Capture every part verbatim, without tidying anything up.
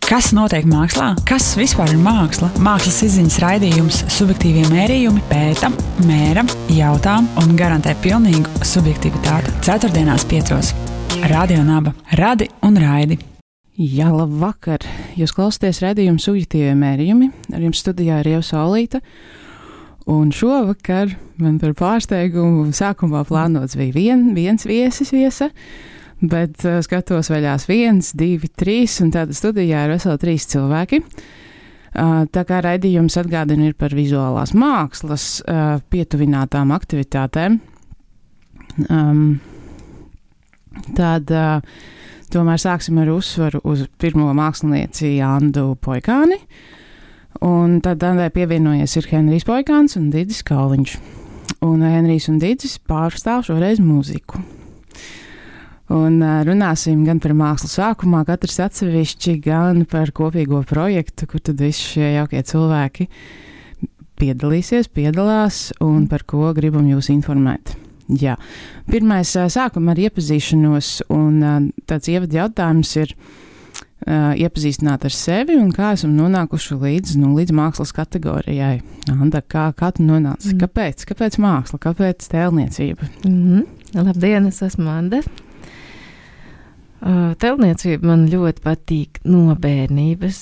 Kas notiek mākslā? Kas vispār ir māksla? Mākslas izziņas raidījums Subjektīvie mērījumi pēta, mēra, jautā un garantē pilnīgu subjektivitāti. Ceturtdienās piecos. Radio Naba. Radi un raidi. Jā, labvakar! Jūs klausāties raidījumu Subjektīvie mērījumi. Ar jums studijā ir Ieva Saulīte. Un šovakar man par pārsteigumu sākumā plānots bija vien, viens viesis viesa. Bet uh, skatos vaļās viens, divi, trīs, un tāda studijā ir veseli trīs cilvēki. Uh, tā kā raidījums atgādina ir par vizuālās mākslas uh, pietuvinātām aktivitātēm, um, tad uh, tomēr sāksim ar uzsvaru uz pirmo mākslinieci Andu Poikāni, un tad Andai pievienojies ir Henrijs Poikāns un Didis Kauliņš. Un Henrijs un Didis pārstāv šoreiz mūziku. Un uh, runāsim gan par mākslu sākumā, katrs atsevišķi, gan par kopīgo projektu, kur tad visi šie jaukie cilvēki piedalīsies, piedalās un par ko gribam jūs informēt. Jā. Pirmais uh, sākam ar iepazīšanos, un uh, tāds ievada jautājums ir uh, iepazīstināt ar sevi un kā esam nonākuši līdz, nu, līdz mākslas kategorijai. Anda, kā, kā tu nonāci? Mm. Kāpēc? Kāpēc māksla? Kāpēc tēlniecība? Mm-hmm. Labdien, es esmu Anda. Uh, tēlniecība man ļoti patīk no bērnības.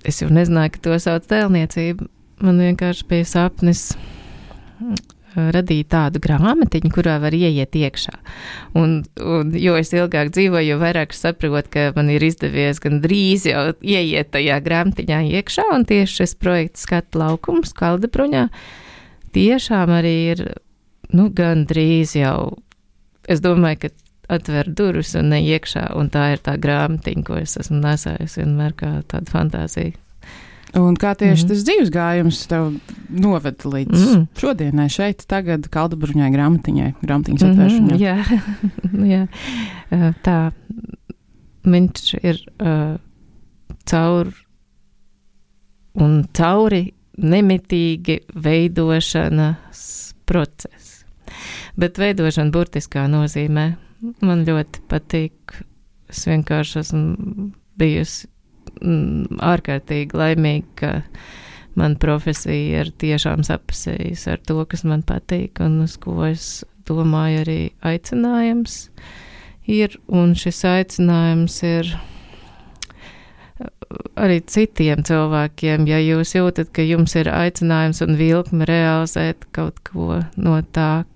Es jau nezināju, ka to sauc tēlniecība. Man vienkārši bija sapnis uh, radīt tādu grāmatiņu, kurā var ieiet iekšā. Un, un jo es ilgāk dzīvoju, jo vairāk saprotu, ka man ir izdevies gan drīz jau ieiet tajā grāmatiņā iekšā, un tieši šis projekts Skatu laukums Kaldabruņā tiešām arī ir, nu, gan drīz jau, es domāju, ka atver durvis un ne iekšā, un tā ir tā grāmatiņa, ko es esmu nesājusi vienmēr kā tāda fantāzija. Un kā tieši mm. tas dzīves gājums tev noveda līdz mm. šodienai šeit, tagad Kaldabruņai grāmatiņai, grāmatiņas atvēršanai? Mm-hmm, jā, jā, tā, viņš ir uh, caur un cauri nemitīgi veidošanas process, bet veidošana burtiskā nozīmē. Man ļoti patīk, es vienkārši esmu bijusi mm, ārkārtīgi laimīga, ka man profesija ir tiešām sapasējusi ar to, kas man patīk un uz ko es domāju arī aicinājums ir, un šis aicinājums ir arī citiem cilvēkiem, ja jūs jūtat, ka jums ir aicinājums un vilkme realizēt kaut ko no tā,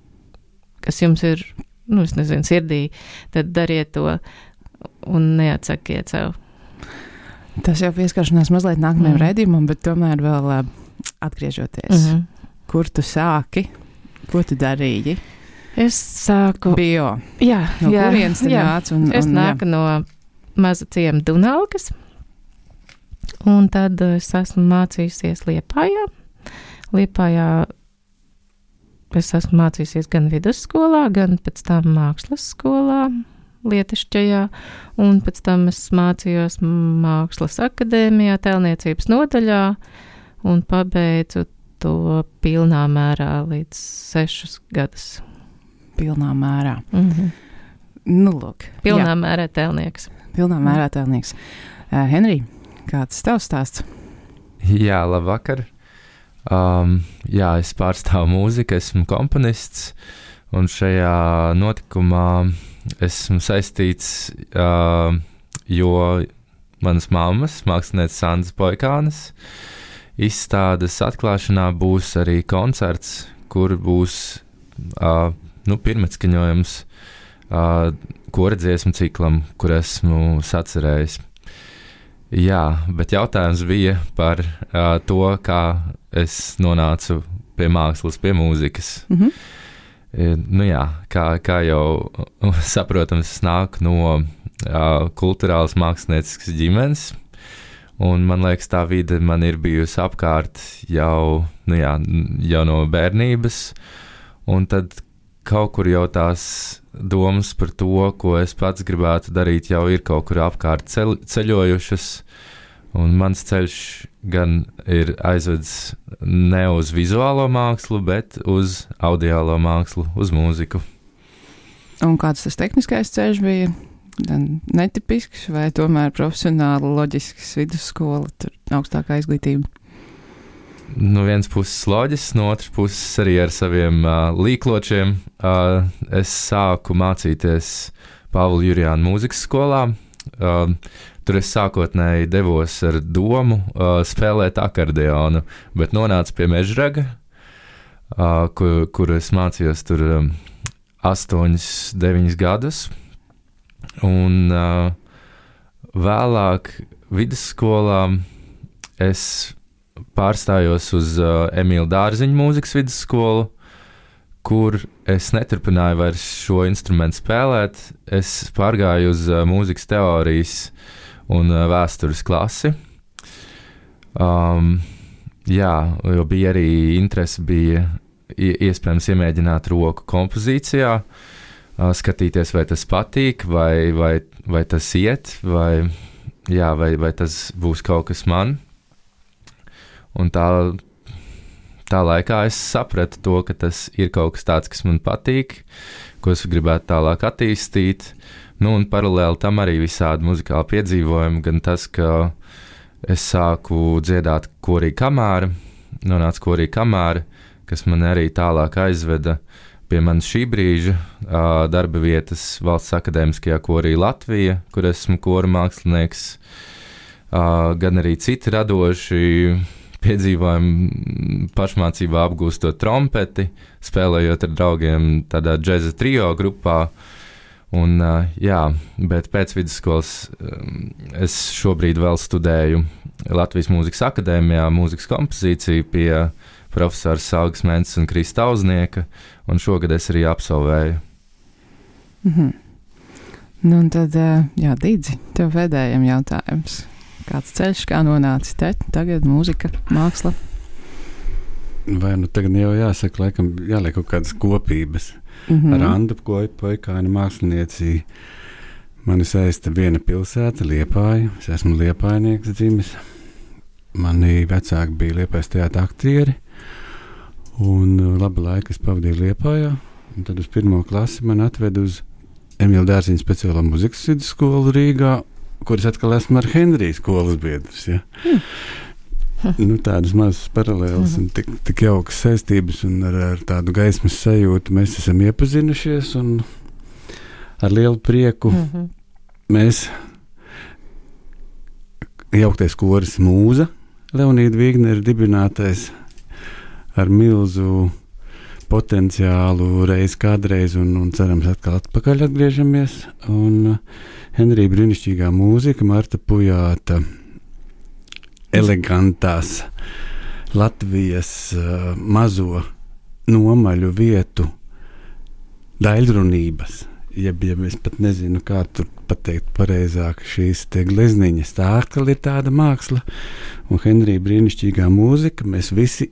kas jums ir, nu, es nezinu, sirdī, tad dariet to un neatsakiet sev. Tas jau pieskaršanās mazliet nākamajam mm. raidījumam, bet tomēr vēl uh, atgriežoties. Mm-hmm. Kur tu sāki? Ko tu darīji? Es sāku... Bio. Jā, no jā. kurienes tu nāc? Un, es un, nāku jā. no maza ciema Dunalkas, un tad es esmu mācījusies Liepājā. Liepājā es esmu mācījusies gan vidusskolā, gan pēc tam mākslas skolā, Lietišķajā, un pēc tam es mācījos mākslas akadēmijā, tēlniecības nodaļā, un pabeidzu to pilnā mērā līdz sešus gadus. Pilnā mērā. Mm-hmm. Nu, lūk. Pilnā jā. mērā tēlnieks. Pilnā mērā tēlnieks. Uh, Henrij, kāds tavs stāsts? Jā, labvakar. Um, jā, es pārstāvu mūziku, esmu komponists, un šajā notikumā esmu saistīts, uh, jo manas mammas, mākslinieces Andas Poikānes, izstādes atklāšanā būs arī koncerts, kur būs uh, nu, pirmatskaņojums uh, koradziesmu ciklam, kur esmu sacerējis. Jā, bet jautājums bija par uh, to, kā es nonācu pie mākslas, pie mūzikas. Mm-hmm. E, nu jā, kā, kā jau saprotams, es nāku no uh, kulturālas mākslinieciskas ģimenes, un man liekas, tā vide man ir bijusi apkārt jau, nu jā, jau no bērnības, un tad kaut kur jau tās domas par to, ko es pats gribētu darīt, jau ir kaut kur apkārt ceļ, ceļojušas, un mans ceļš gan ir aizvedis ne uz vizuālo mākslu, bet uz audiālo mākslu, uz mūziku. Un kāds tas tehniskais ceļš bija? netipisks vai tomēr profesionāli loģisks vidusskola, tur augstākā izglītība? No vienas puses loģisks, no otras puses arī ar saviem uh, līkločiem. Uh, es sāku mācīties Pāvila Jurjāna mūzikas skolā. Uh, tur es sākotnēji devos ar domu uh, spēlēt akordeonu, bet nonācu pie Mežraga, uh, kur, kur es mācījos tur um, astoņus, deviņus gadus. Un uh, vēlāk vidusskolā es pārstājos uz uh, Emīla Dārziņa mūzikas vidusskolu, kur es neturpināju vairs šo instrumentu spēlēt. Es pārgāju uz uh, mūzikas teorijas un uh, vēstures klasi. Um, jā, jo bija arī interese, bija iespējams iemēģināt roku kompozīcijā, uh, skatīties, vai tas patīk, vai, vai, vai tas iet, vai, jā, vai, vai tas būs kaut kas man. Un tā, tā laikā es sapratu to, ka tas ir kaut kas tāds, kas man patīk, ko es gribētu tālāk attīstīt. Nu, un paralēli tam arī visādi muzikāli piedzīvojumi, gan tas, ka es sāku dziedāt korī kamāra, nonāca korī kamāra, kas man arī tālāk aizveda pie manas šī brīža uh, darba vietas Valsts akadēmiskajā korī Latvija, kur esmu kora mākslinieks, uh, gan arī citi radoši piedzīvojumi pašmācībā apgūstot trompeti, spēlējot ar draugiem tādā džeza trio grupā. Un, uh, jā, bet pēc vidusskolas um, es šobrīd vēl studēju Latvijas Mūzikas akadēmijā mūzikas kompozīciju pie profesora Saugas Mences un Krista Auznieka, un šogad es arī absolvēju. Mhm. Nu, un tad, jā, Dīdzi, tev pēdējiem jautājums. Kāds ceļš, kā nonācis te, tagad mūzika, māksla? Vai nu tagad jau jāsaka, laikam jāliek kaut kādas kopības. Mm-hmm. Ar Andu Poikāni mākslinieci mani saista viena pilsēta, Liepāja. Es esmu liepājnieks dzimis. Mani vecāki bija Liepājas teātra aktieri. Un labu laiku es pavadīju Liepājā. Un tad uz pirmo klasi man atved uz Emīla Dārziņa speciālo mūzikas vidusskolu Rīgā, kuras atkal esmu ar Henriju skolas biedrs. Ja? Mm. Nu, tādas mazas paralēlas mm-hmm. un tik, tik jaukas saistības un ar, ar tādu gaismas sajūtu mēs esam iepazinušies un ar lielu prieku mm-hmm. mēs jauktais koris Mūza, Leonīda Vīgnera dibinātais ar milzu potenciālu reiz kādreiz un, un cerams atkal atpakaļ atgriežamies. Un Henrija brīnišķīgā mūzika, Marta Pujāta elegantās Latvijas uh, mazo nomaļu vietu daļrunības, jeb, jeb es pat nezinu, kā tur pateikt pareizāk, šīs te glezniņas, tā atkal ir tāda māksla, un Henrija brīnišķīgā mūzika, mēs visi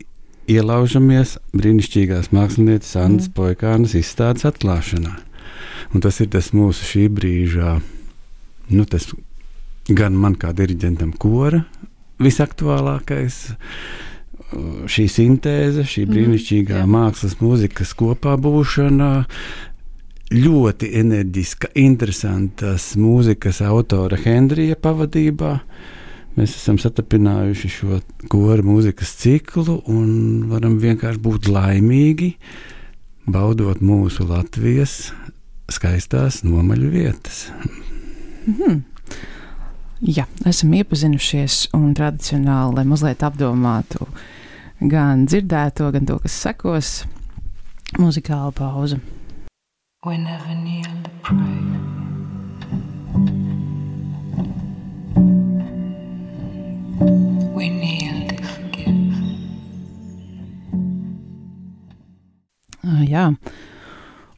ielaužamies brīnišķīgās mākslinieces Andas mm. Poikānas izstādes atklāšanā. Un tas ir tas mūsu šī brīžā, nu tas gan man kā diriģentam kora visaktuālākais, šī sintēze, šī brīnišķīgā mm. mākslas mūzikas kopā būšana, ļoti enerģiska, interesantas mūzikas autora Henrija pavadībā. Mēs esam satapinājuši šo kora mūzikas ciklu un varam vienkārši būt laimīgi, baudot mūsu Latvijas skaistās nomaļu vietas. Mm-hmm. Jā, esam iepazinušies un tradicionāli, lai mazliet apdomātu gan dzirdēto, gan to, kas sekos, muzikāla pauze. We never kneel to pray. We kneel to forgive. Uh, jā,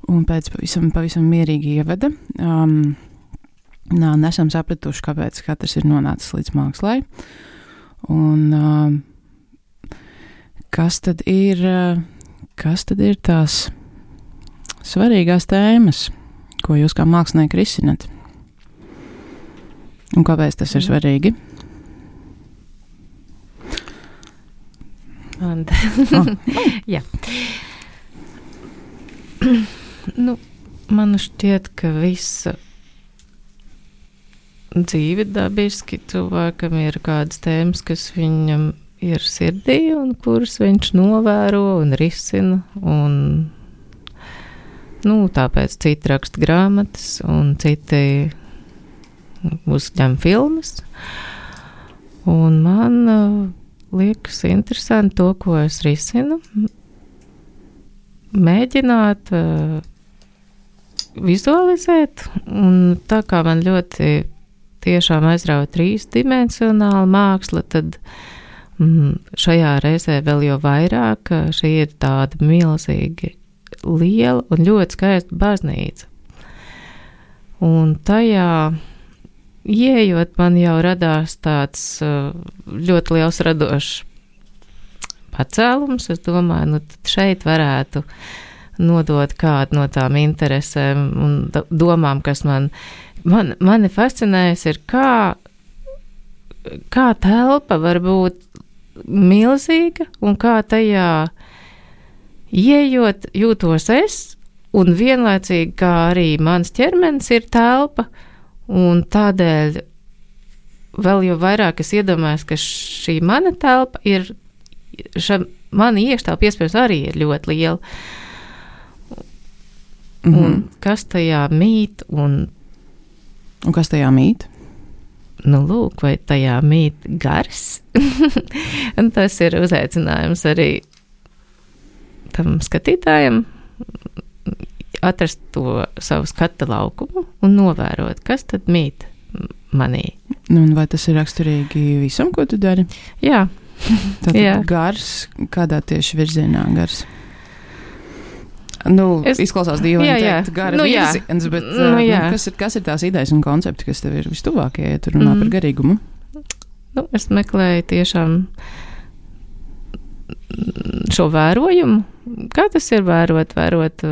un pēc pavisam, pavisam mierīgi ievada, um, nā, nesam sapratuši, kāpēc katrs ir nonācis līdz mākslai, un um, kas tad ir, kas tad ir tās svarīgās tēmas, ko jūs kā mākslinieki risinat, un kāpēc tas ir svarīgi? Anda. Oh. Jā. Nu, man šķiet, ka visa dzīvi dabiski, cilvēkam ir kādas tēmas, kas viņam ir sirdī un kuras viņš novēro un risina, un nu, tāpēc citi raksta grāmatas un citi uzņem filmas. Un man uh, liekas interesanti to, ko es risinu, mēģināt uh, vizualizēt, un tā kā man ļoti tiešām aizrauja trīsdimensionāla māksla, tad mm, šajā reizē vēl jau vairāk šī ir tāda milzīgi liela un ļoti skaista baznīca. Un tajā ieejot, man jau radās tāds ļoti liels radošs pacēlums. Es domāju, nu tad šeit varētu nodot kādu no tām interesēm un domām, kas man, man mani fascinējas, ir kā, kā telpa var būt milzīga un kā tajā ieejot jūtos es, un vienlaicīgi kā arī mans ķermenis ir telpa, un tādēļ vēl jau vairāk es iedomājos, ka šī mana telpa ir, ša, mana iekštelpa iespējams arī ir ļoti liela. Mm-hmm. Un kas tajā mīt un... Un kas tajā mīt? Nu, lūk, vai tajā mīt gars? Un tas ir uzaicinājums arī tam skatītājam atrast to savu skata laukumu un novērot, kas tad mīt manī. Nu, un vai tas ir raksturīgi visam, ko tu dari? Jā. Tātad Jā. Gars, kādā tieši virzienā gars? Nu, es, izklausās dīvaini teikt gara nu, virziens, bet nu, nu, kas, ir, kas ir tās idejas un koncepti, kas tev ir vistuvākie, ja tu runā mm. par garīgumu? Nu, es meklēju tiešām šo vērojumu. Kā tas ir vērot, vērot,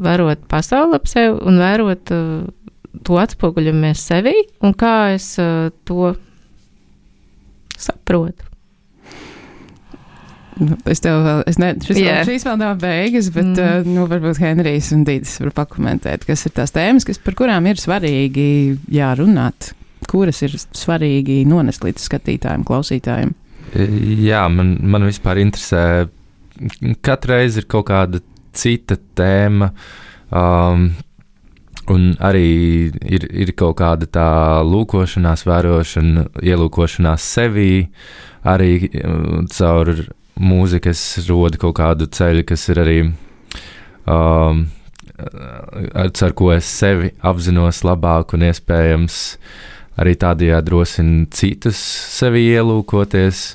vērot pasauli ap sevi un vērot to atspoguļamies sevī un kā es to saprotu. Nu, es tev vēl, es ne, šis yeah. vēl, šīs vēl nav beigas, bet, mm. uh, nu, varbūt Henrijs un Dīdis var pakomentēt, kas ir tās tēmas, kas, par kurām ir svarīgi jārunāt, kuras ir svarīgi nonest līdz skatītājiem, klausītājiem. Jā, man, man vispār interesē, katru reizi ir kaut kāda cita tēma, um, un arī ir, ir kaut kāda tā lūkošanās, vērošana, ielūkošanās sevī, arī um, caur mūzikas roda kaut kādu ceļu, kas ir arī, um, ar ko es sevi apzinos labāk un iespējams arī tādējādi drosina citus sevi ielūkoties.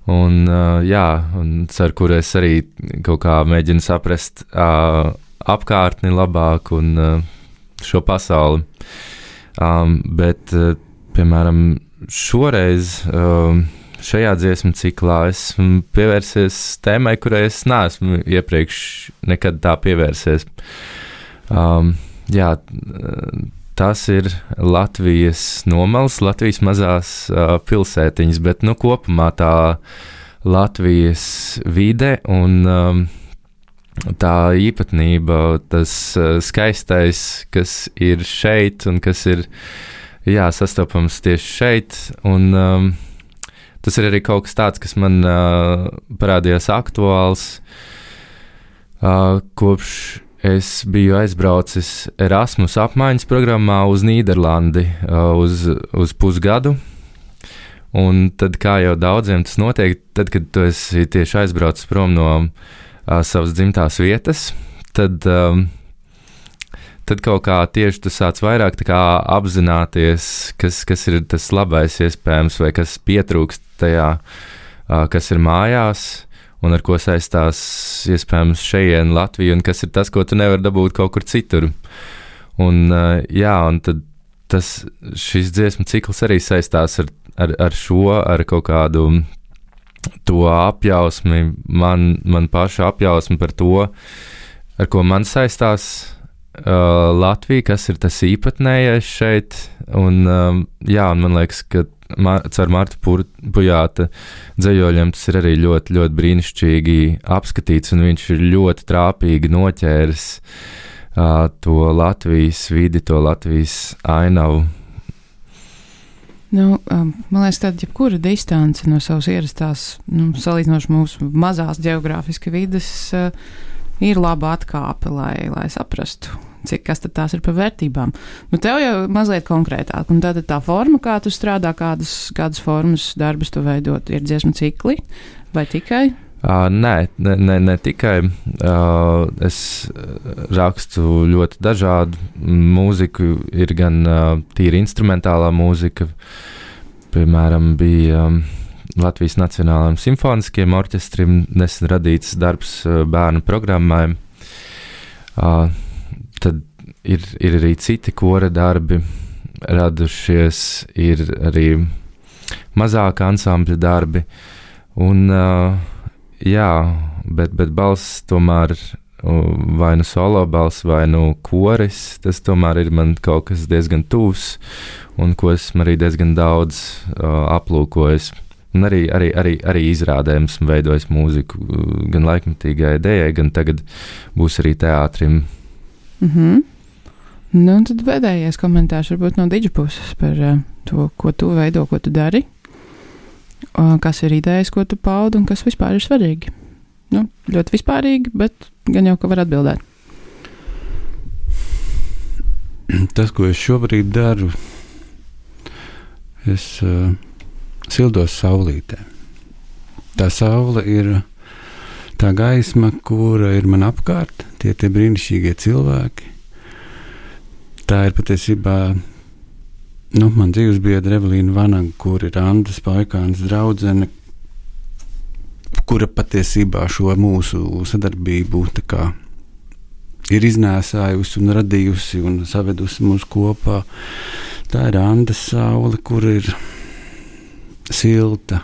Un, uh, jā, un ar kuru es arī kaut kā mēģinu saprast uh, apkārtni labāk un uh, šo pasauli. Um, bet, uh, piemēram, šoreiz um, šajā dziesmu ciklā esmu pievērsies tēmai, kurai es neesmu iepriekš nekad tā pievērsies. Um, jā, tas ir Latvijas nomals, Latvijas mazās uh, pilsētiņas, bet nu kopumā tā Latvijas vide un um, tā īpatnība, tas uh, skaistais, kas ir šeit un kas ir, jā, sastopams tieši šeit, un um, tas ir arī kaut kas tāds, kas man uh, parādījās aktuāls, uh, kopš es biju aizbraucis Erasmus apmaiņas programmā uz Nīderlandi uh, uz, uz pusgadu. Un tad, kā jau daudziem tas notiek, tad, kad tu esi tieši aizbraucis prom no uh, savas dzimtās vietas, tad, um, tad kaut kā tieši tu sāc vairāk tā kā apzināties, kas, kas ir tas labais iespējams vai kas pietrūkst tajā, uh, kas ir mājās un ar ko saistās iespējams šeien Latviju un kas ir tas, ko tu nevar dabūt kaut kur citur. Un uh, jā, un tad tas, šis dziesmu cikls arī saistās ar, ar, ar šo, ar kaut kādu to apjausmi, man, man paša apjausmi par to, ar ko man saistās uh, Latvija, kas ir tas īpatnējais šeit. Un um, jā, un man liekas, ka Mar- caur Marta Pujāta dzejoļiem tas ir arī ļoti, ļoti brīnišķīgi apskatīts, un viņš ir ļoti trāpīgi noķēris uh, to Latvijas vidi, to Latvijas ainavu. Nu, um, man liekas, tāda jebkura distance no savas ierastās, nu, salīdzinoši mūsu mazās geogrāfiski vides, uh, ir laba atkāpe, lai, lai saprastu, cik kas tad tās ir par vērtībām. Nu, tev jau mazliet konkrētāk, un tātad tā forma, kā tu strādā, kādas, kādas formas darbus tu veidot, ir dziesmu cikli vai tikai? Uh, nē, ne, ne, ne tikai. Uh, es rakstu ļoti dažādu mūziku. Ir gan uh, tīri instrumentālā mūzika, piemēram, bija um, Latvijas Nacionālajiem simfoniskiem orķestrim nesen radīts darbs uh, bērnu programmai. Uh, tad ir, ir arī citi kora darbi radušies, ir arī mazāka ansambļa darbi. Un, uh, jā, bet, bet balss tomēr vai nu solo balss, vai nu koris, tas tomēr ir man kaut kas diezgan tūs, un ko esmu arī diezgan daudz uh, aplūkojis. Un arī, arī, arī, arī izrādēm esmu veidojis mūziku gan laikmetīgai idejai, gan tagad būs arī teātrim. Mhm. Nu, un tad pēdējais komentārs varbūt no Didža puses par uh, to, ko tu veido, ko tu dari. Kas ir idejas, ko tu paudi, un kas vispār ir svarīgi? Nu, ļoti vispārīgi, bet gan jau, ka var atbildēt. Tas, ko es šobrīd daru, es uh, sildos saulītē. Tā saule ir tā gaisma, kura ir man apkārt, tie tie brīnišķīgie cilvēki. Tā ir patiesībā Nu, man dzīves biedra Evelīna Vanaga, kur ir Andas Poikānas draudzene, kura patiesībā šo mūsu sadarbību tā kā ir iznēsājusi un radījusi un savedusi mūs kopā. Tā ir Andas saule, kur ir silta,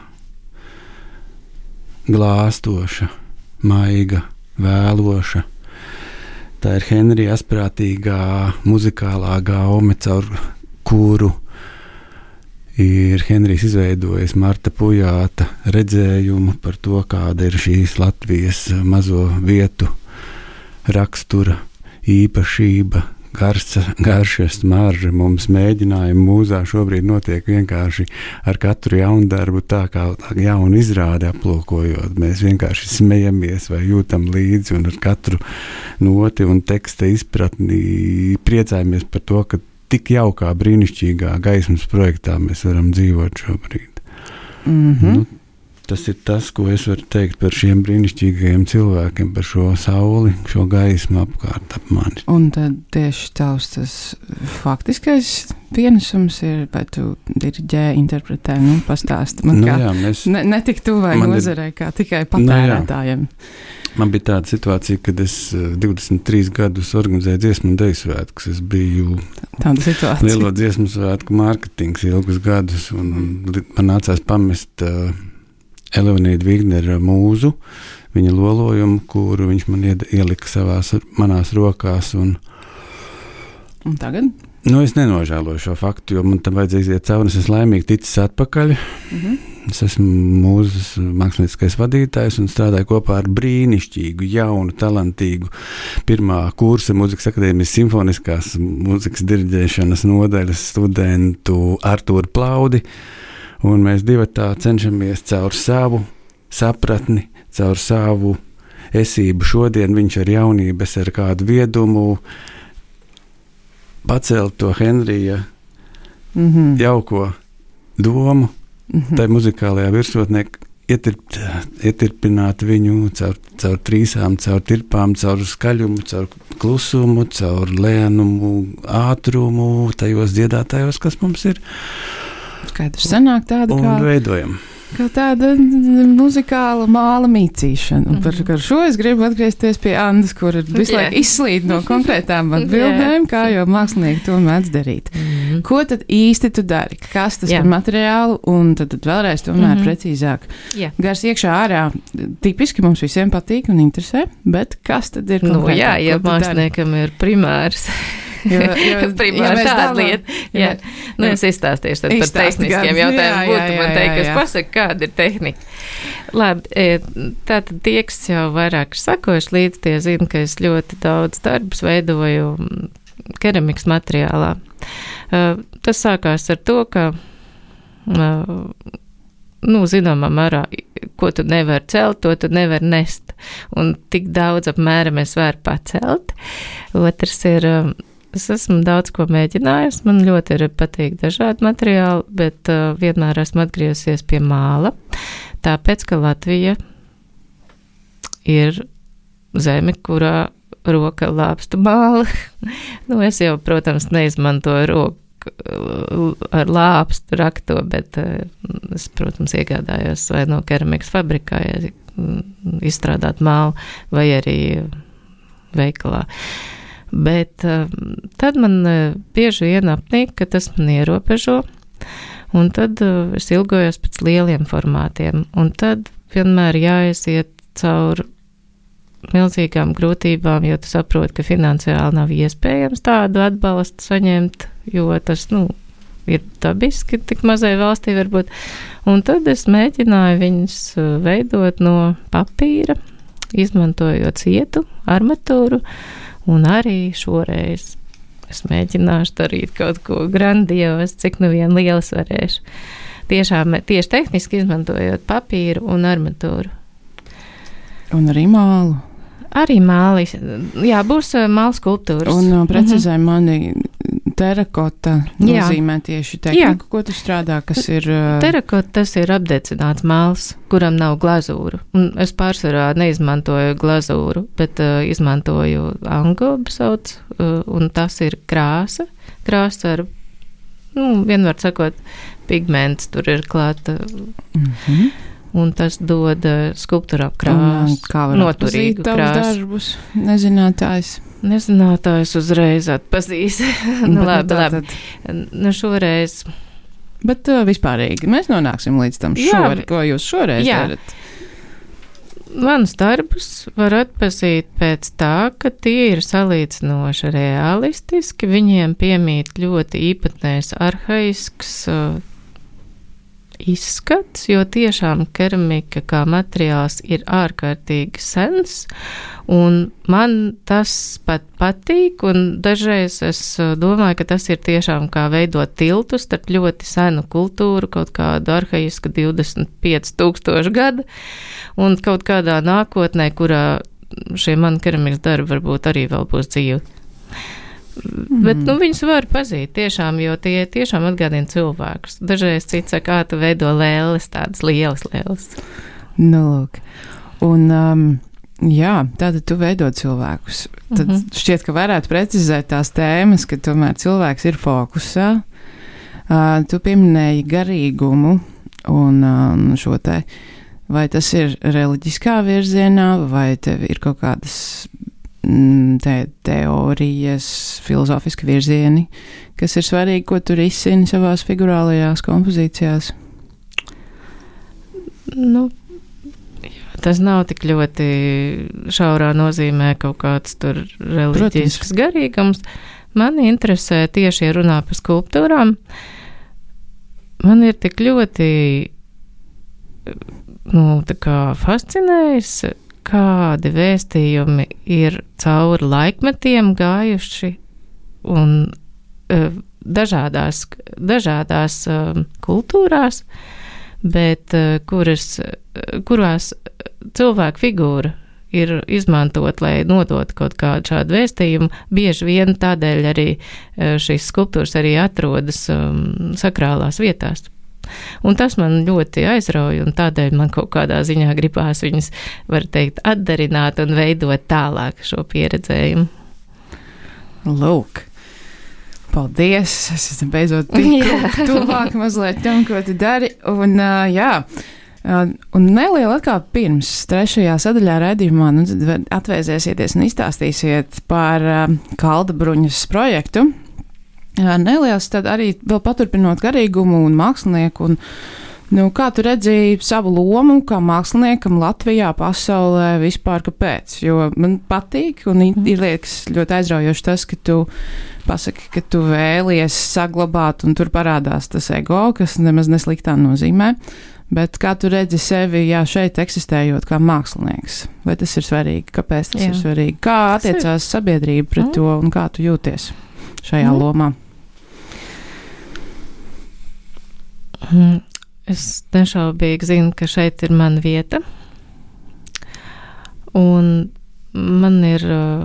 glāstoša, maiga, vēloša. Tā ir Henrija asprātīgā muzikālā gaume, caur kuru ir Henrijs izveidojis Marta Pujāta redzējumu par to, kāda ir šīs Latvijas mazo vietu rakstura, īpašība, garša, garša smarža. Mums mēģinājumi mūzā šobrīd notiek vienkārši ar katru jaunu darbu, tā kā jaunu izrādi aplūkojot. Mēs vienkārši smejamies vai jūtam līdzi, un ar katru noti un teksta izpratni priecājamies par to, ka tik jaukā, brīnišķīgā gaismas projektā mēs varam dzīvot šobrīd. Mm-hmm. Nu, tas ir tas, ko es varu teikt par šiem brīnišķīgajiem cilvēkiem, par šo sauli, šo gaismu apkārt ap mani. Un tad tieši tavs tas faktiskais pienesums ir, vai tu diriģē, interpretē, nu, pastāsti man, Nu, kā jā, mēs, ne, ne tik tuvai Man ir- nozarei, kā tikai patērētājiem. man bija tāda situācija, kad es eh, divdesmit trīs gadus organizēju dziesmu un deju svētkus. Es biju Tāda situācija. lielo dziesmu svētku mārketings ilgus gadus, un, un li- man nācās pamest uh, Eleonīdu Vignera mūzu, viņa lolojumu, kuru viņš man ied, ielika savās, manās rokās. Un, Un tagad? nu, es nenožēloju šo faktu, jo man tam vajadzēja iziet cauri, un es esmu laimīgi ticis atpakaļ. Mhm. Es esmu mūzes mākslinieckais vadītājs un strādāju kopā ar brīnišķīgu, jaunu, talantīgu pirmā kursa Mūzikas akadēmijas simfoniskās mūzikas diriģēšanas nodaļas studentu Artūru Plaudi. Un mēs divi tā cenšamies caur savu sapratni, caur savu esību šodien, viņš ar jaunību, es ar kādu viedumu, pacelt to Henrija Mhm. jauko domu, Mhm. tai muzikālajā virsotnē, ietirpt, ietirpināt viņu caur, caur trīsām, caur tirpām, caur skaļumu, caur klusumu, caur lēnumu, ātrumu, tajos dziedātājos, kas mums ir, Skaidrs, sanāk tāda un kā, veidojam. kā tāda muzikāla māla mīcīšana. Un par, par šo es gribu atgriezties pie Andas, kur ir visu Jā. laiku izslīd no konkrētām atbildēm, kā jau mākslinieki to mēdz darīt. Mhm. Ko tad īsti tu dari? Kas tas Jā. par materiālu? Un tad, tad vēlreiz tomēr Mhm. precīzāk. Jā. Gars iekšā ārā tipiski mums visiem patīk un interesē, bet kas tad ir Nu, konkrētāk? jā, ja Ko tu dari? māksliniekam ir primārs. Jo- jo- Primāri ja mēs tāda dalām- lieta. Jā, nu es izstāstīšu tad par Izstāsti tehniskiem gan. jautājumiem. Jā, Būtu jā, man jā, teikt, jā, kas jā. pasaka, kāda ir tehnika. Labi, e, tātad tie, kas jau vairāk ir sakojuši līdz, tie zina, ka es ļoti daudz darbus veidoju mm, keramikas materiālā. Uh, tas sākās ar to, ka nu, zināmā mērā, ko tu nevari celt, to tu nevari nest. Un tik daudz apmēram es varu pacelt. Otrs ir, es esmu daudz ko mēģinājusi, man ļoti ir patīk dažādi materiāli, bet uh, vienmēr esmu atgriezusies pie māla, tāpēc, ka Latvija ir zeme, kurā roka lāpstu māla. Nu, es jau, protams, neizmantoju roku ar lāpstu rakto, bet es, protams, iegādājos vai no keramikas fabrikā izstrādāt mālu vai arī veikalā. Bet tad man bieži vien apnīk, ka tas man ierobežo, un tad es ilgojos pēc lieliem formātiem, un tad vienmēr jāaiziet caur milzīgām grūtībām, jo tu saproti, ka finansiāli nav iespējams tādu atbalstu saņemt, jo tas, nu, ir dabiski tik mazai valstī varbūt. Un tad es mēģināju viņus veidot no papīra, izmantojot cietu, armatūru, un arī šoreiz es mēģināšu darīt kaut ko grandios, cik nu vien lielas varēšu. Tiešām, tieši tehniski izmantojot papīru un armatūru. Un arī mālu. Arī mālis. Jā, būs māla skulptūras. Un uh, precizē uh-huh. mani terakota nozīmē tieši tehniku, Jā. Ko tu strādā, kas ir... Uh... Terakota tas ir apdecināts māls, kuram nav glazūru. Un es pārsvarā neizmantoju glazūru, bet uh, izmantoju angobu sauc, uh, un tas ir krāsa. Krāsa ar, nu, vienvar sakot, pigments tur ir klāta. Mhm. Un tas dod skulptūrām krāsu, noturīgu krāsu. Darbus, nezinātājs. Nezinātājs uzreiz atpazīs. Nu, labi, labi. Nu, šoreiz. Bet uh, vispārīgi mēs nonāksim līdz tam šori, ko jūs šoreiz Jā. Darat. Manus darbus var atpazīt pēc tā, ka tie ir salīdzinoši realistiski, viņiem piemīt ļoti īpatnējs arhaisks uh, izskats, jo tiešām keramika kā materiāls ir ārkārtīgi sens, un man tas pat patīk, un dažreiz es domāju, ka tas ir tiešām kā veidot tiltu starp ļoti senu kultūru, kaut kādu arhaisku divdesmit pieci tūkstoši gadu, un kaut kādā nākotnē, kurā šie mani keramikas darbi varbūt arī vēl būs dzīvi. Mm. Bet, nu, viņus var pazīt tiešām, jo tie tiešām atgādina cilvēkus. Dažreiz cits saka, kā tu veido lēles, tādas lielas lēles. Nu, lūk. Un, um, jā, tātad tu veido cilvēkus. Tad mm-hmm. šķiet, ka varētu precizēt tās tēmas, ka tomēr cilvēks ir fokusā. Uh, tu pieminēji garīgumu un um, šo te, vai tas ir reliģiskā virzienā, vai tev ir kaut kādas Te, teorijas, filozofiski virzieni, kas ir svarīgi, ko tu risini savās figurālajās kompozīcijās? Nu, jā, tas nav tik ļoti šaurā nozīmē kaut kāds tur reliģisks garīgums. Mani interesē tieši, ja runā par skulptūrām, man ir tik ļoti, nu, tā kā fascinējis, kādi vēstījumi ir cauri laikmetiem gājuši un uh, dažādās, dažādās uh, kultūrās, bet uh, kuras, kurās cilvēku figūra ir izmantot, lai nodot kaut kādu šādu vēstījumu. Bieži vien tādēļ arī uh, šīs skulptūras arī atrodas um, sakrālās vietās. Un tas man ļoti aizrauja, un tādēļ man kaut kādā ziņā gribās viņas, var teikt, atdarināt un veidot tālāk šo pieredzējumu. Lūk, paldies! Es esmu beidzot tik tuvāk mazliet tam, ko tu dari. Un, uh, jā, uh, un neliela atkal pirms trešajā sadaļā raidījumā nu, atvēsēsieties un izstāstīsiet par uh, Kaldabruņas projektu. Jā, neliels, tad arī vēl paturpinot garīgumu un mākslinieku, un, nu, kā tu redzīji savu lomu kā māksliniekam Latvijā, pasaulē, vispār kāpēc? Jo man patīk, un mm. ir liekas ļoti aizraujoši tas, ka tu pasaki, ka tu vēlies saglabāt, un tur parādās tas ego, kas nemaz nesliktā nozīmē, bet kā tu redzi sevi, jā, šeit eksistējot kā mākslinieks? Vai tas ir svarīgi? Kāpēc tas jā. Ir svarīgi? Kā attiecās sabiedrība pret mm. to, un kā tu jūties šajā mm. lomā? Es nešaubīgi zinu, ka šeit ir mana vieta. Un man ir uh,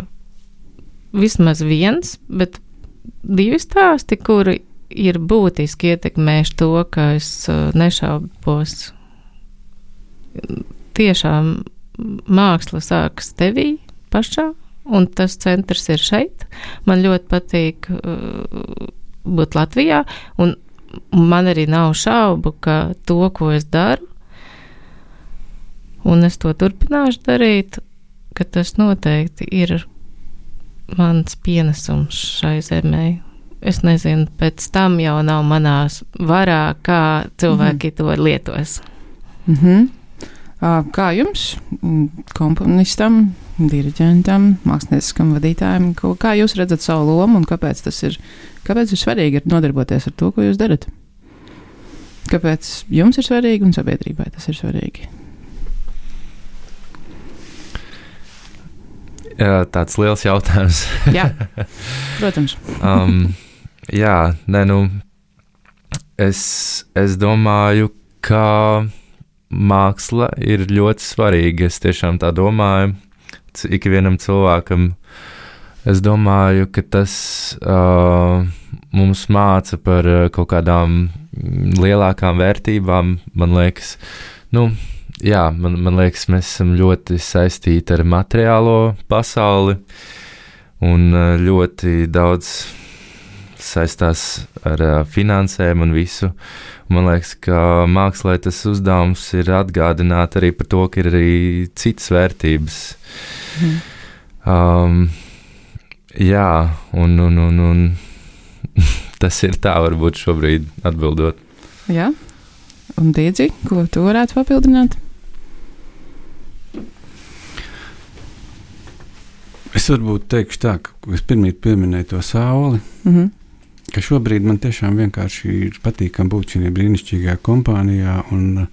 vismaz viens, bet divi stāsti, kuri ir būtiski ietekmējuši to, ka es uh, nešaubos. Tiešām māksla sākas tevī pašā, un tas centrs ir šeit. Man ļoti patīk uh, būt Latvijā, un man arī nav šaubu, ka to, ko es daru, un es to turpināšu darīt, ka tas noteikti ir mans pienesums šai zemē. Es nezinu, pēc tam jau nav manās varā, kā cilvēki mm-hmm. to lietos. Mm-hmm. Kā jums, komponistam, diriģentam, mākslinieckam vadītājam, kā jūs redzat savu lomu un kāpēc tas ir, kāpēc ir svarīgi ir nodarboties ar to, ko jūs darat? Kāpēc jums ir svarīgi un sabiedrībai tas ir svarīgi? Jā, tāds liels jautājums. Jā, protams. um, jā, ne, nu, es, es domāju, ka māksla ir ļoti svarīga. Es tiešām tā domāju. Ikvienam cilvēkam, es domāju, ka tas uh, mums māca par uh, kaut kādām lielākām vērtībām. Man liekas, nu, jā, man, man liekas, mēs esam ļoti saistīti ar materiālo pasauli un uh, ļoti daudz saistās ar uh, finansēm un visu. Man liekas, ka mākslā tas uzdevums ir atgādināt arī par to, ka ir arī citas vērtības. Mm. Um, jā, un, un, un, un tas ir tā varbūt šobrīd atbildot. Jā, un Diedzi, ko tu varētu papildināt? Es varbūt teikšu tā, ka es pirmīt pieminēju to sauli. Mm-hmm. Ka šobrīd man tiešām vienkārši ir patīkami būt šajā brīnišķīgajā kompānijā un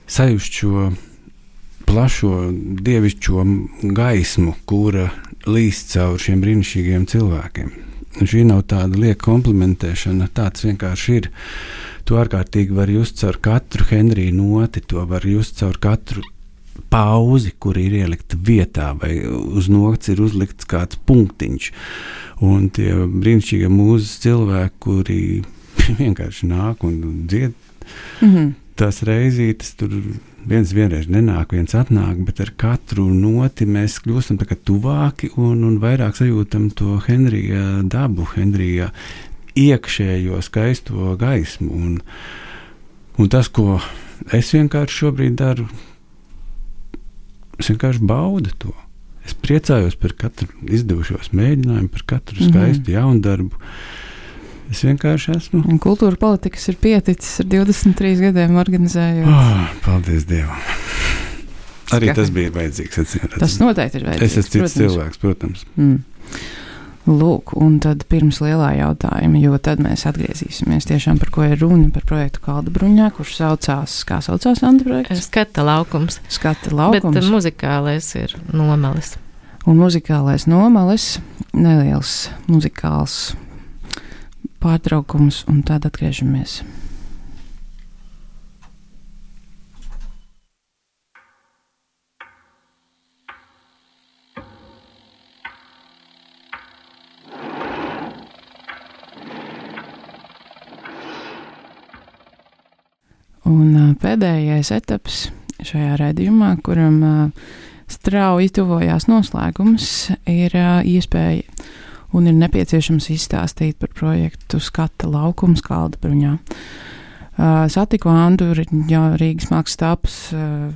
sajust šo plašo dievišķo gaismu, kura līst caur šiem brīnišķīgajiem cilvēkiem. Un šī nav tāda lieka komplimentēšana, tāds vienkārši ir. To ārkārtīgi var just caur katru Henrija noti, to var just caur katru pauzi, kur ir ielikta vietā, vai uz nokts ir uzlikts kāds punktiņš. Un tie brīnišķīgie mūzes cilvēki, kuri vienkārši nāk un dzied, mm-hmm. tās reizītes tur viens vienreiz nenāk, viens atnāk, bet ar katru noti mēs kļūstam tā kā tuvāki un, un vairāk sajūtam to Henrija dabu, Henrija iekšējo skaisto gaismu. Un, un tas, ko es vienkārši šobrīd daru, es vienkārši baudu to. Es priecājos par katru izdevušos mēģinājumu, par katru skaistu mm-hmm. jaunu darbu. Es vienkārši esmu. Un kultūra politikas ir pieticis ar divdesmit trīs gadiem organizējot. Oh, paldies Dievam. Arī tas bija vajadzīgs. Atcīm, tas noteikti ir vajadzīgs. Es esmu cits cilvēks, protams. Mm. Lūk, un tad pirms lielā jautājuma, jo tad mēs atgriezīsimies tiešām par ko ir runa, par projektu Kalda bruņā, kurš saucās, kā saucās Anda projekts? Skata laukums. Skata laukums. Bet muzikālais ir Nomalis. Un muzikālais Nomalis, neliels muzikāls pārtraukums, un tad atgriežamies. Un uh, pēdējais etaps šajā raidījumā, kuram uh, strauji tuvojās noslēgums, ir uh, iespēja un ir nepieciešams izstāstīt par projektu Skata laukums Kalda bruņā. Uh, satiku Andu Rīgas mākslas tāpas uh,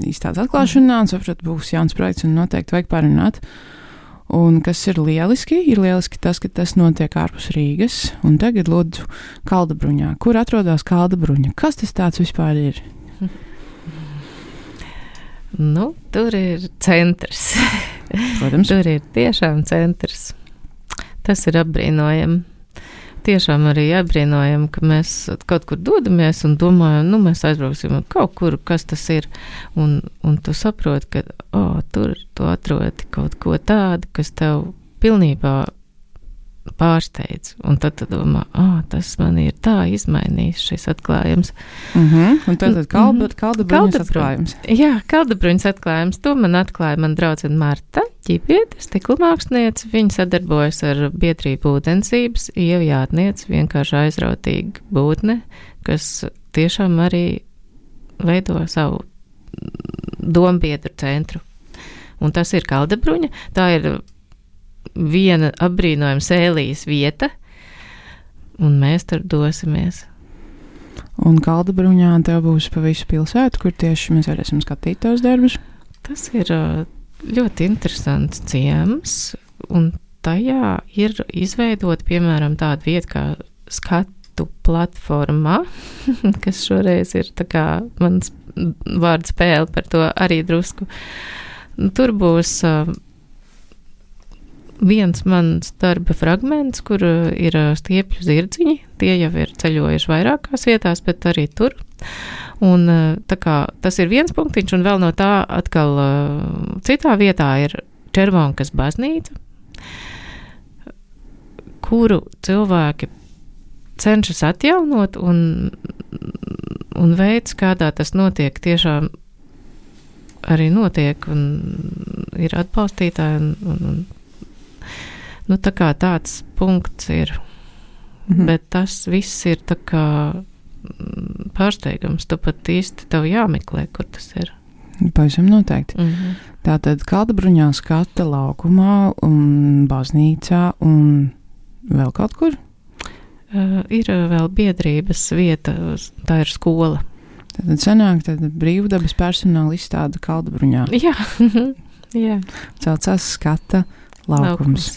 izstādes atklāšanā un sapratu, būs jauns projekts un noteikti vajag parunāt. Un kas ir lieliski, ir lieliski tas, ka tas notiek ārpus Rīgas, un tagad lūdzu Kalda bruņā. Kur atrodas Kalda bruņa? Kas tas tāds vispār ir? Nu, tur ir centrs. Protams. Tur ir tiešām centrs. Tas ir apbrīnojami. Tiešām arī apbrīnojami, ka mēs kaut kur dodamies un domājam, nu mēs aizbrauksim kaut kur, kas tas ir. Un, un tu saproti, ka oh, tur tu atrodi kaut ko tādu, kas tev pilnībā pārsteidz. Un tad tu domā, ah, tas man ir tā izmainījis šis atklājums. Mm -hmm. Un tad, tad kalda, Mhm. kalda bruņas Kalda atklājums. Jā, Kaldabruņas atklājums. To man atklāja man draudzene Marta Ķipiete, stikla māksliniece. Viņa sadarbojas ar biedrību Ūdensības, Ieva Jātniece, vienkārši aizrautīga būtne, kas tiešām arī veido savu dombiedru centru. Un tas ir Kaldabruņa. Tā ir viena apbrīnojama sēlijas vieta, un mēs tur dosimies. Un Kaldabruņā tev būs pa visu pilsētu, kur tieši mēs varēsim skatīt tos darbus. Tas ir ā, ļoti interesants ciems, un tajā ir izveidota, piemēram, tāda vieta kā skatu platforma, kas šoreiz ir tā kā mans vārdu spēle par to arī drusku. Tur būs uh, viens mans darba fragments, kur uh, ir uh, stiepļu zirdziņi. Tie jau ir ceļojuši vairākās vietās, bet arī tur. Un uh, tā kā tas ir viens punktiņš, un vēl no tā atkal uh, citā vietā ir Červonkas baznīca, kuru cilvēki cenšas atjaunot, un, un veids, kādā tas notiek, tiešām arī notiek, un ir atbalstītāji, un, un, un nu, tā kā tāds punkts ir. Mhm. Bet tas viss ir tā kā pārsteigums. Tu pat īsti tev jāmeklē, kur tas ir. Pavisam noteikti. Mhm. Tātad Kaldabruņā skata laukumā un baznīcā un vēl kaut kur? Uh, ir vēl biedrības vieta, tā ir skola. Tad sanāk, tad brīvdabas personāla izstāda Kaldabruņā. Jā, jā. Saucās skata laukums. Laukums.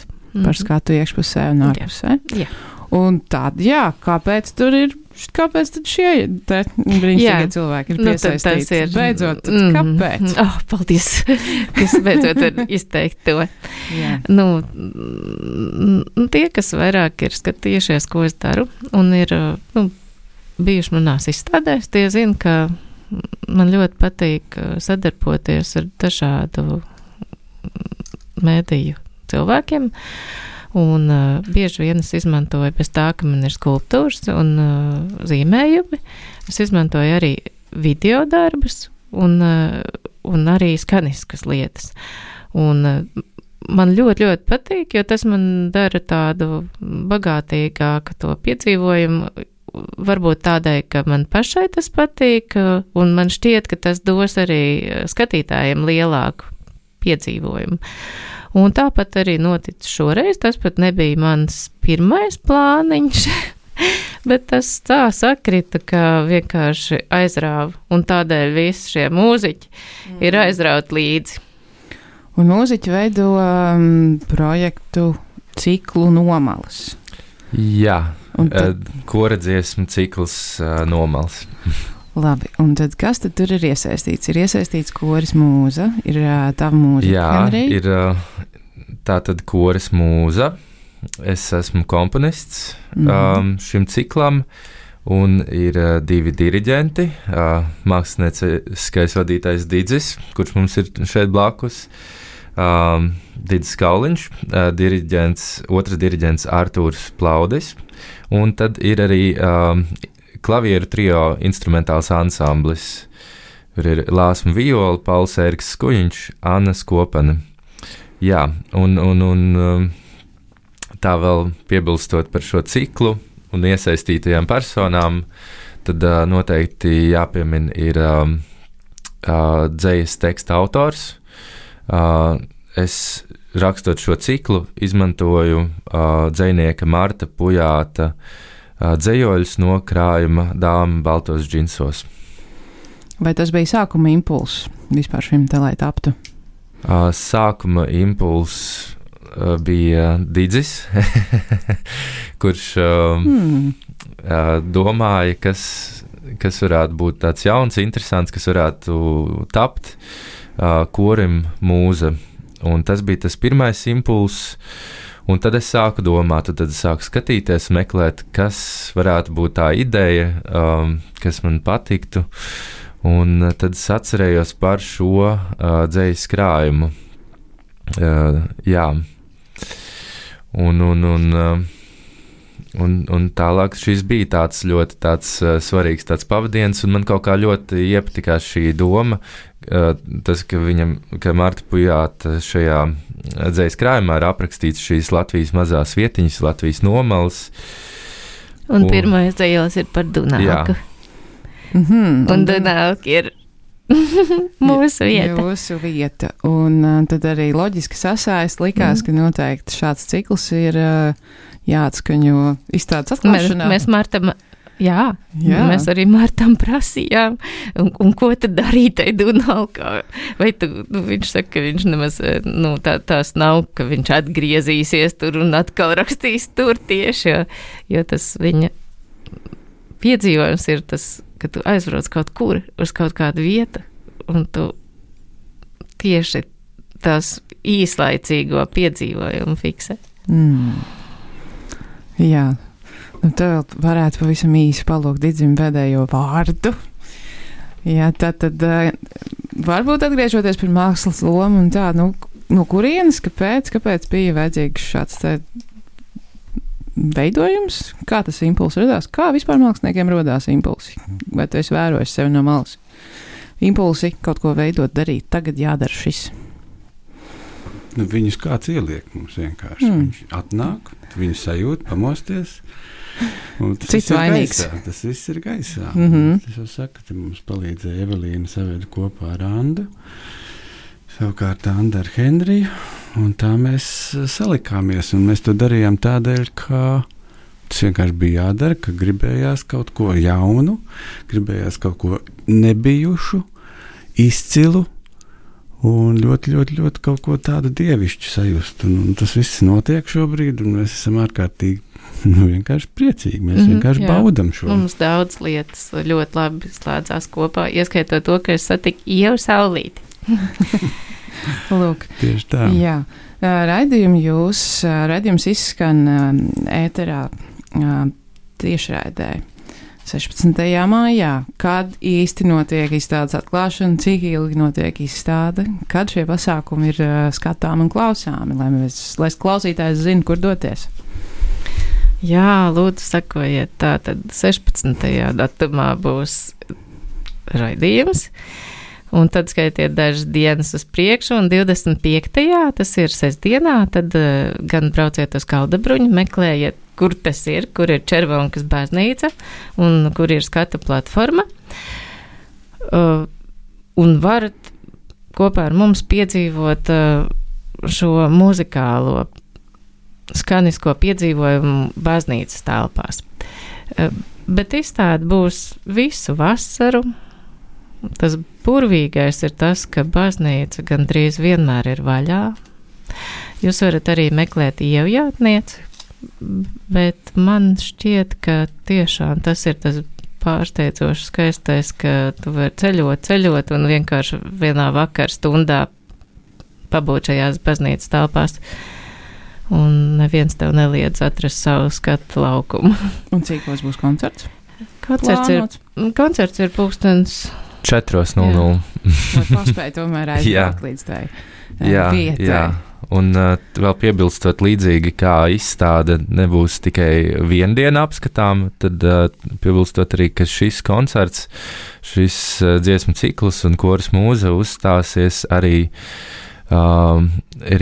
Par skatu iekšpusē un ārpusē. Jā. Un tad, jā, kāpēc tur ir, kāpēc tad šie te brīnišķīgie cilvēki ir Nu, tad tas piesaistīti? ir- Beidzot, tad Mm. kāpēc? Oh, paldies, kas beidzot var izteikt to. Jā. Nu, mm, tie, kas vairāk ir skatījušies, ko es daru, un ir, nu, bijuši manās izstādēs, tie zina, ka man ļoti patīk sadarboties ar dažādu mēdīju cilvēkiem, un uh, bieži vien es izmantoju bez tā, ka man ir skulptūras un uh, zīmējumi. Es izmantoju arī video darbus un, uh, un arī skaniskas lietas. Un uh, man ļoti, ļoti patīk, jo tas man dara tādu bagātīgāku to piedzīvojumu, varbūt tādai, ka man pašai tas patīk, uh, un man šķiet, ka tas dos arī skatītājiem lielāku piedzīvojumu. Un tāpat arī notic šoreiz, tas pat nebija mans pirmais plāniņš, bet tas tā sakrita, ka vienkārši aizrāva, un tādēļ visi šie mūziķi mm. ir aizrauti līdzi. Un mūziķi veido um, projektu ciklu Nomalas. Jā, Un tad- uh, kora dziesmu cikls uh, Nomals. Labi, un tad kas tad tur ir iesaistīts? Ir iesaistīts koris mūza, ir uh, tava mūzika, Jā, Henrij? ir uh, tā tad koris mūza. Es esmu komponists Mhm. um, šim ciklam, un ir uh, divi diriģenti. Uh, mākslinieckais vadītājs Didzis, kurš mums ir šeit blakus. Um, Didzis Kauliņš, uh, diriģents, otrs diriģents Artūrs Plaudis, un tad ir arī um, klavieru trio instrumentāls ansamblis. Tur ir Lāsma Viola, Pauls Ēriks Skujiņš, Anna Skopane. Jā, un, un, un tā vēl piebilstot par šo ciklu un iesaistītajām personām, tad uh, noteikti jāpiemin ir um, uh, dzejas teksta autors. Uh, es rakstot šo ciklu izmantoju uh, dzejnieka Marta Pujāta uh, dzējoļus no krājuma Dāma baltos džinsos. Vai tas bija sākuma impulss vispār šim te, lai taptu? Uh, sākuma impulss uh, bija Didzis, kurš uh, Hmm. uh, domāja, kas, kas varētu būt tāds jauns, interesants, kas varētu tapt uh, korim mūza. Un tas bija tas pirmais impulss, un tad es sāku domāt, tad es sāku skatīties, meklēt, kas varētu būt tā ideja, um, kas man patiktu. Un tad es atcerējos par šo uh, dzejas krājumu. Uh, jā. un, un, un, un, un tālāk šis bija tāds ļoti tāds svarīgs tāds pavadiens, un man kaut kā ļoti iepatikās šī doma, tas, ka viņam, ka Marta Pujāta šajā dzejas krājumā ir aprakstīts šīs Latvijas mazās vietiņas, Latvijas nomales. Un, un pirmais dzejos ir par Dunāku. Mm-hmm. Un Dunāka ir mūsu vieta. Mūsu vieta. Un uh, tad arī loģiski sasaist likās, mm. ka noteikti šāds cikls ir uh, jāatskaņo izstādes atklāšanā. Mēs, mēs Martam, jā, jā, mēs arī Martam prasījām, un, un ko tad darīt tai Dunākā? Vai tu, nu, viņš saka, ka viņš nemaz, nu, tā, tās nav, ka viņš atgriezīsies tur un atkal rakstīs tur tieši, jo, jo tas viņa piedzīvojums ir tas, ka tu aizbrauc kaut kur uz kaut kādu vietu, un tu tieši tās īslaicīgo piedzīvojumu fiksē. Mm. Jā, nu tad varētu pavisam īsi palūgt Didzim pēdējo vārdu. Jā, tā tad varbūt atgriežoties pie mākslas lomu un tā, nu, no kurienes, kāpēc, kāpēc bija vajadzīgs šāds te veidojums, kā tas impulss radās, kā vispār māksliniekiem rodās impulsi, vai tu esi vērojis sevi no malas? Impulsi kaut ko veidot, darīt, tagad jādara šis. Nu, viņus kāds ieliek mums vienkārši. Mm. Viņš atnāk, viņu sajūt, pamosties. Cits vainīgs. Gaisā, tas viss ir gaisā. Mm-hmm. Es jau saku, ka mums palīdzēja Evelīna saveda kopā ar Andu. Savukārt Anda ar Henriju. Un tā mēs salikāmies, un mēs to darījām tādēļ, ka tas vienkārši bija jādara, ka gribējās kaut ko jaunu, gribējās kaut ko nebijušu, izcilu, un ļoti, ļoti, ļoti kaut ko tādu dievišķu sajust. Un, un tas viss notiek šobrīd, un mēs esam ārkārtīgi, nu, vienkārši priecīgi. Mēs mm-hmm, vienkārši jā. baudam šo. Mums daudz lietas ļoti labi slēdzās kopā, ieskaitot to, ka es satiku Ievu Saulīti. Lūk, tieši tā. Jā, raidījumi jūs, raidījums izskan ēterā tiešraidē sešpadsmitajā maijā. Kad īsti notiek izstādes atklāšana, cik ilgi notiek izstāde, kad šie pasākumi ir skatām un klausāmi, lai, mēs, lai klausītājs zina, kur doties. Jā, lūdzu, sakojiet, tā tad sešpadsmitajā datumā būs raidījums. Un tad skaitiet dažas dienas uz priekšu, un divdesmit piektajā tas ir sestdienā, tad uh, gan brauciet uz Kaldabruņu, meklējiet, kur tas ir, kur ir Červonkas baznīca, un kur ir skatu platforma. Uh, un varat kopā ar mums piedzīvot uh, šo muzikālo, skanisko piedzīvojumu baznīcas telpās. Uh, bet izstāde būs visu vasaru. Tas burvīgais ir tas, ka baznīca gandrīz vienmēr ir vaļā. Jūs varat arī meklēt ievjātnieci, bet man šķiet, ka tiešām tas ir tas pārsteidzoši skaistais, ka tu vari ceļot, ceļot un vienkārši vienā vakar stundā pabūt šajās baznīcas telpās. Un neviens tev neliedz atrast savu skatu laukumu. Un cīkos būs koncerts? Koncerts Plānots. ir, koncerts ir pūkstens četros nulle nulle. Lai paspēj tomēr aizbraukt līdz tai jā, vietai. Jā. Un uh, vēl piebilstot līdzīgi, kā izstāde nebūs tikai vienu dienu apskatām, tad uh, piebilstot arī, ka šis koncerts, šis uh, dziesmu cikls un koras mūza uzstāsies arī uh,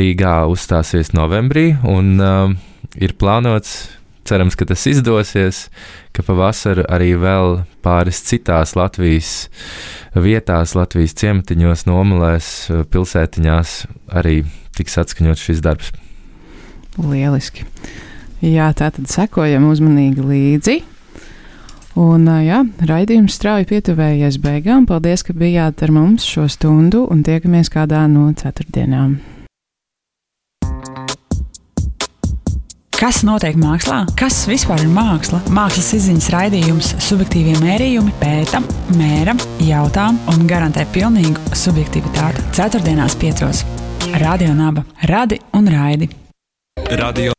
Rīgā uzstāsies novembrī, un uh, ir plānots, cerams, ka tas izdosies, ka pavasaru arī vēl pāris citās Latvijas vietās, Latvijas ciematiņos, nomalēs, pilsētiņās arī tiks atskaņot šis darbs. Lieliski. Jā, tātad sekojam uzmanīgi līdzi. Un jā, raidījums strauji pietuvējies beigām. Paldies, ka bijāt ar mums šo stundu un tiekamies kādā no ceturtdienām. Kas notiek mākslā? Kas vispār ir māksla? Mākslas izziņas raidījums Subjektīvie mērījumi pēta, mēra, jautā un garantē pilnīgu subjektivitāti. Ceturtdienās piecos. Radio Naba. Radi un raidi. Radio